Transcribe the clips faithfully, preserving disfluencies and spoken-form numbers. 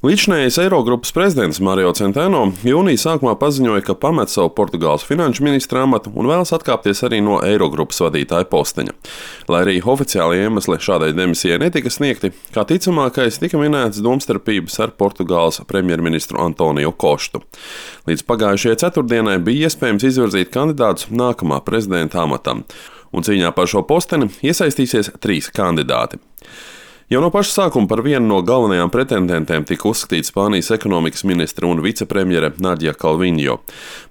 Līdzinājais Eirogrupas prezidents Mario Centeno jūnija sākumā paziņoja, ka pamet savu Portugāles finanšu ministra amatu un vēlas atkāpties arī no Eirogrupas vadītāja posteņa. Lai arī oficiāli iemesli šādai demisijai netika sniegti, kā ticamākais tika minēts domstarpības ar Portugāles premjerministru Antoniju Kostu. Līdz pagājušajai ceturtdienai bija iespējams izvirzīt kandidātus nākamā prezidenta amatam, un cīņā par šo posteni iesaistīsies trīs kandidāti. Jau no paša sākuma par vienu no galvenajām pretendentēm tika uzskatīta Spānijas ekonomikas ministre un vicepremjere Nadia Calviņo.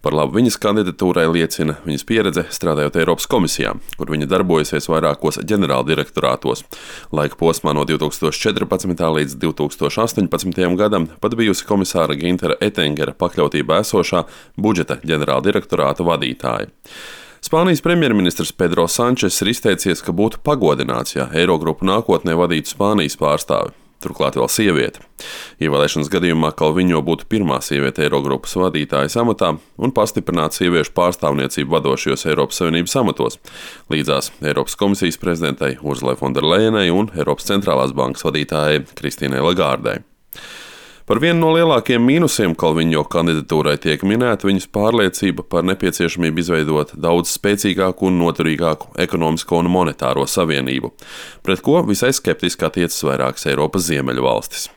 Par labu viņas kandidatūrai liecina viņas pieredze strādājot Eiropas komisijā, kur viņa darbojusies vairākos ģenerāldirektorātos. Laika posmā no divi tūkstoši četrpadsmitā līdz divi tūkstoši astoņpadsmitajam gadam pat bijusi komisāra Gintera Etengera pakļautībā esošā budžeta ģenerāldirektorāta vadītāja. Spānijas premjerministrs Pedro Sančes ir izteicies, ka būtu pagodināts, ja Eirogrupu nākotnē vadītu Spānijas pārstāvi, turklāt vēl sieviete. Ievēlēšanas gadījumā Calviņo būtu pirmā sieviete Eirogrupas vadītājas amatā un pastiprinātu sieviešu pārstāvniecību vadošajos Eiropas Savienības amatos, līdzās Eiropas komisijas prezidentei Urzulai Fonderlejenai un Eiropas centrālās bankas vadītājai Kristīnai Lagārdei. Par vienu no lielākajiem mīnusiem Calviņo kandidatūrai tiek minēta viņas pārliecība par nepieciešamību izveidot daudz spēcīgāku un noturīgāku ekonomisko un monetāro savienību, pret ko visai skeptiski attiecas vairākas Eiropas ziemeļu valstis.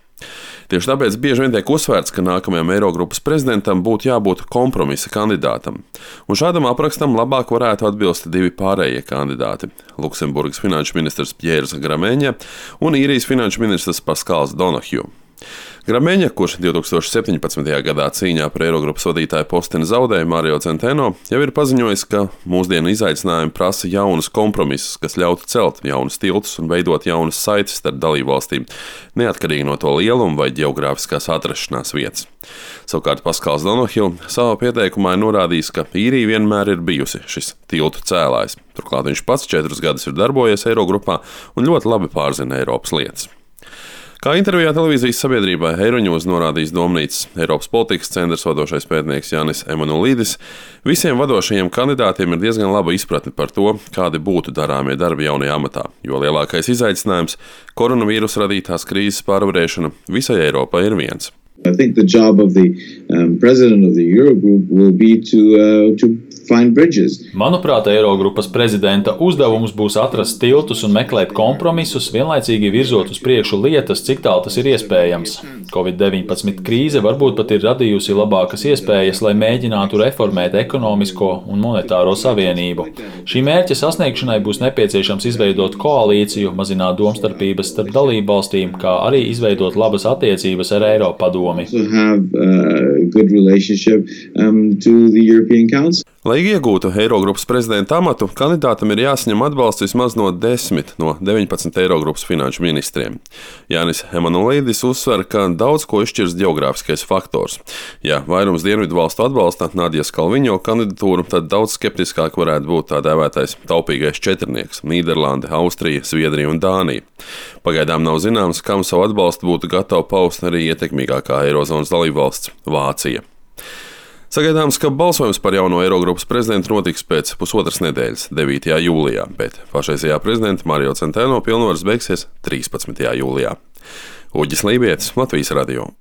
Tieši tāpēc bieži vien tiek uzsvērts, ka nākamajam Eirogrupas prezidentam būtu jābūt kompromisa kandidātam, un šādam aprakstam labāk varētu atbilst divi pārējie kandidāti – Luksemburgas finanšu ministrs Pjērs Grameņa un Īrijas finanšu ministrs Paskals Donahju. Grameņa, kurš divi tūkstoši septiņpadsmitajā gadā cīņā par Eirogrupas vadītāja posteni zaudēja Mario Centeno, jau ir paziņojis, ka mūsdienu izaicinājumi prasa jaunus kompromisus, kas ļautu celt jaunus tiltus un veidot jaunas saites starp dalībvalstīm, neatkarīgi no to lieluma vai ģeogrāfiskās atrašanās vietas. Savukārt Paskals Donahju savā pieteikumā ir norādījis, ka Īrija vienmēr ir bijusi šis tiltu cēlājs. Turklāt viņš pats četrus gadus ir darbojies Eirogrupā un ļoti labi pārzina Eiropas lietas. Kā intervijā televīzijas sabiedrībai Eiroņūs norādījis Domnīcas Eiropas politikas centrs vadošais pētnieks Jānis Emanuelīdis, visiem vadošajiem kandidātiem ir diezgan laba izpratne par to, kādi būtu darāmie darbi jaunajā amatā, jo lielākais izaicinājums – koronavīrusa radītās krīzes pārvarēšana visai Eiropai ir viens. I think the job of the um, president of the Eurogroup will be to, uh, to find bridges. Manuprāt, Eirogrupas prezidenta uzdevums būs atrast tiltus un meklēt kompromisus, vienlaicīgi virzot uz priekšu lietas, cik tālu tas ir iespējams. covid deviņpadsmit krīze varbūt pat ir radījusi labākas iespējas, lai mēģinātu reformēt ekonomisko un monetāro savienību. Šī mērķa sasniegšanai būs nepieciešams izveidot koalīciju, mazināt domstarpības starp dalībvalstīm, kā arī izveidot labas attiecības ar Eiropadomi. Have, uh, good relationship, um, to the European Council. Lai iegūtu Eirogrupas prezidenta amatu, kandidātam ir jāsaņem atbalsts vismaz no desmit no deviņpadsmit Eirogrupas finanšu ministriem. Jānis Emanuelīdis uzsver, ka daudz ko izšķirs ģeogrāfiskais faktors. Ja vairums dienvidu valstu atbalsta Nadias Calviņo kandidatūru, tad daudz skeptiskāk varētu būt tā dēvētais taupīgais četrnieks – Nīderlande, Austrija, Zviedrija un Dānija. Pagaidām nav zināms, kam savu atbalstu būtu gatava paust arī ietekmīgākā Eirozonas dalībvalsts – Vācija. Sagaidāms, ka balsojums par jauno Eirogrupas prezidentu notiks pēc pusotras nedēļas, devītajā jūlijā, bet pašreizējā prezidenta Mario Centeno pilnvaras beigsies trīspadsmitajā jūlijā. Uģis Lībietis, Latvijas radio.